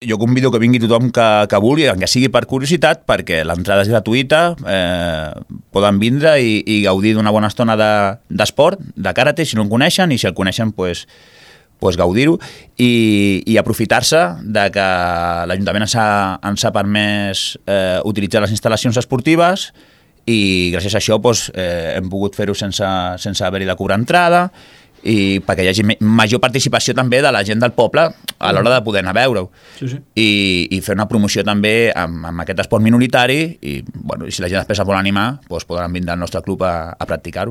Jo convido que vingui tothom que vulgui, que sigui per curiositat, perquè l'entrada és gratuïta, poden vindre i gaudir d'una bona estona d'esport, de karate, si no en coneixen, i si el coneixen, pues gaudir-ho i aprofitar-se de que l'Ajuntament ens ha permès utilitzar les instal·lacions esportives i gràcies a això hem pogut fer-ho sense haver-hi de cobrar entrada i perquè hi hagi major participació també de la gent del poble a l'hora de poder anar a veure-ho. I fer una promoció també amb aquest esport minoritari i si la gent després es vol animar, podran vindre al nostre club a practicar-ho.